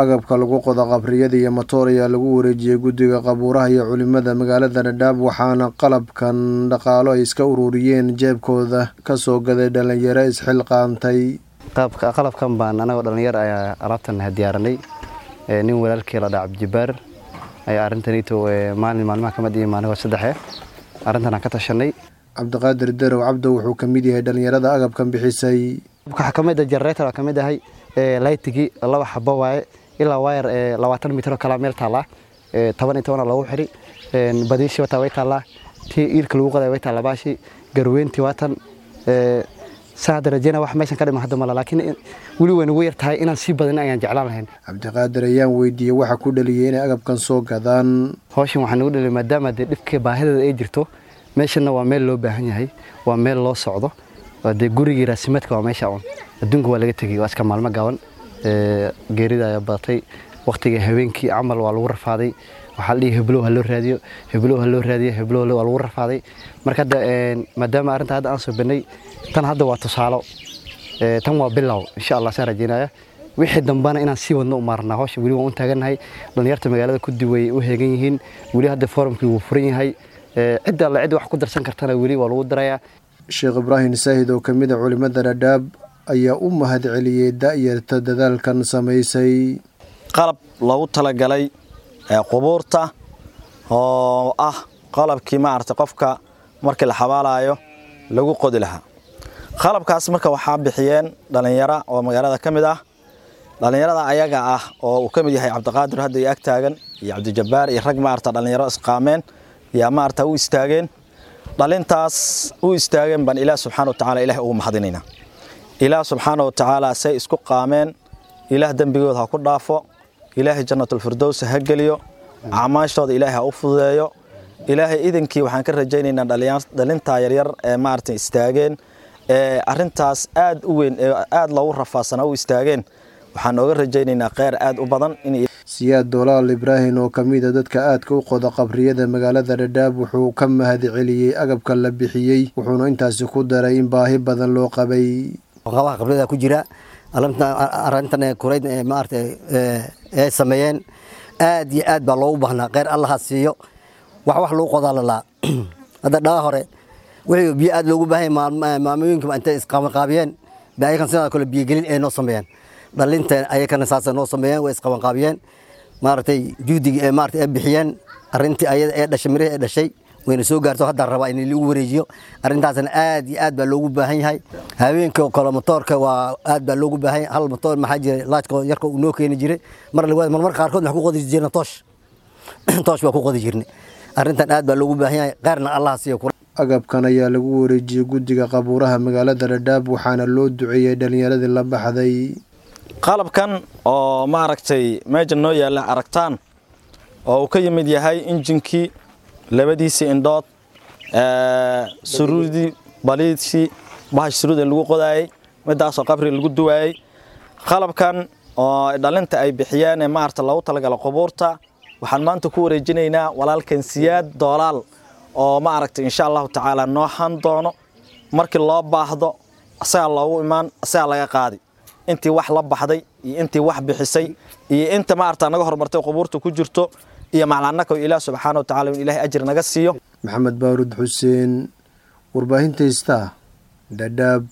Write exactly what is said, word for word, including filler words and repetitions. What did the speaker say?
Agabka lagu qodo qabriyada iyo matoor ayaa lagu wareejiyay guddiga qabuuraha iyo culimada magaalada Dhadhaab, waxaana qalabkan dhaqaalo ay iska ururiyeen jeebkooda ka soo gaday dhalinyaro isxilqaantay. Qalabkan baan anagoo dhalinyar ayaa alaabtan diyaaranay. Nin walaalkii la dhaca Cabdijabaar ayaa arrintanito maalin maalmaha kamid iyo maalin saddexe arrintan aan ka tashanay. Cabdiqaadir Darow Cabdo wuxuu ka mid yahay dhalinyarada agabkan bixisay. Waxaa kamid ah generator, kamid ahay lightigi laba xabo waaye, ilaa wire labaatan mitir oo kala meel taala, toban iyo toban lagu xiri badiishi wataa way taallaa, tii iilka lagu qoday way taallaa, baashi garweyntii waatan saa hadda rajeyna wax meeshan ka dhiman hadda mala, laakiin weli way nagu yar tahay, inaan sii badin ayaan jeclaan lahayn. Cabdiqaadir ayaan weydiiyey waxa ku dhaliyay inay agabkan soo gadaan. Hawshan waxaa nagu dhaliyay maadaama dee dhibka baahideeda ay jirto, meeshanna waa meel loo baahan yahay, waa meel loo socdo, dee gurigii raasimaadka waa meesha un, adduunka waa laga tegey, waa iska maalmo gaaban, geerida ayaa badatay, waqtiga habeenkii camal waa lagu rafaaday, waxaa la dhihi heblow ha loo raadiyo, heblow ha loo raadiyo, heblow waa lagu rafaaday. Marka hadda maadaama arrinta hadda aan soo bannay, tan hadda waa tusaalo, tan waa bilow, insha Allah saan rajeynaya wixii dambana inaan sii wadno u maarnaa. Hawsha weli waan u taagannahay, dhalinyarta magaalada ku duway u heegan yihiin, weli hadda forumkii wuu furan yahay, cidda alle cid wax ku darsan kartana weli waa lagu darayaa. Sheekh Ibraahim Saahid oo ka mid a culimada Dhadhaab ayaa u mahad celiyey da'yarta dadaalkan samaysay. Qalab loogu talagalay qubuurta oo ah qalabkii maaragtay qofka markii la xabaalayo lagu qodi lahaa. Qalabkaas marka waxaa bixiyeen dhalinyaro oo magaalada ka mid ah, dhalinyarada ayaga ah oo uu ka mid yahay Cabdiqaadir hadda iyo ag taagan iyo Cabdijabbaar iyo rag maaragta dhalinyaro isqaameen yaa maaragta u istaageen. Dhalintaas u istaageen baan Ilaah subxaana wa tacaala Ilaah ugu mahadinaynaa. Ilaah subxaana wa tacaala say isku qaameen, Ilaah dembigooda ha ku dhaafo, Ilaahay jannatulfirdows ha geliyo, acmaashooda Ilaahay ha u fududeeyo. Ilaahay idinkii waxaan ka rajaynaynaa dhalintaa yaryar ee maaragtay istaageen ee arrintaas aad u weyn ee aad loogu rafaadsanaa u istaageen, waxaan nooga rajaynaynaa kheyr aad u badan in Siyaad Dolaal Ibraahim oo ka mid a dadka aadka u qoda qabriyada magaalada Dhadhaab wuxuu ka mahad celiyey agabka la bixiyey, wuxuuna intaasi ku daray in baahi badan loo qabay. Qabaha qabriyada ku jira arrintan kurayd maaragtay ay sameeyeen aad iyo aad baa loogu baahnaa, kheyr Allah ha siiyo. Wax wax lagu qodaa lalaa hadda dhaga hore wixii biyo aad loogu baahan yahay, maamooyinka intay isqabanqaabiyeen bay ayakan sidoo kale biyogelin ay noo sameeyeen, dhalinta ayakana saasay noo sameeyeen, way isqabanqaabiyeen maaragtay juhdigii ee maaragtay ay bixiyeen, arrintii ayada ee dhashay mirihii ee dhashay wayna soo gaarto, hadda rabaa in lagu wareejiyo. Arrintaasna aad iyo aad baa loogu baahan yahay. Habeenka oo kale matoorka waa aad baa loogu baahan yahay. Hal matoor maxaa jiray laajka yarka uu noo keeni jiray mar lawaad, marmar qaarkood waxaan ku qodi jirnay toosh, toosh baa ku qodi jirnay. Arrintan aad baa loogu baahan yahay, qaarna Allah siiyo. Agabkan ayaa lagu wareejiyey guddiga qabuuraha magaalada Dhadhaab, waxaana loo duceeyey dhalinyaradii la baxday. Qalabkan oo maaragtay meesha noo yaalla aragtaan oo uu ka yimid yahay injinkii, labadiisii indhood, suruudii, baliidkii bahash suruud ee lagu qodaayey, midaasoo qabri lagu duwaayey, qalabkan oo dhalinta ay bixiyeen ee maaragta loogu talagalo qubuurta waxaan maanta ku wareejinaynaa walaalkan Siyaad Doolaal oo maaragtay insha Allahu tacaala noo han doono markii loo baahdo, asagaa loogu imaan, asagaa laga qaadi. Intii wax la baxday iyo intii wax bixisay iyo inta maaragta naga horumartay qubuurta ku jirto iyo maclanaka, Ilaah subxaana wa tacaala in Ilaahay ajir naga siiyo. Maxamed Baarud Xuseen, warbaahinta Star, Dhadhaab.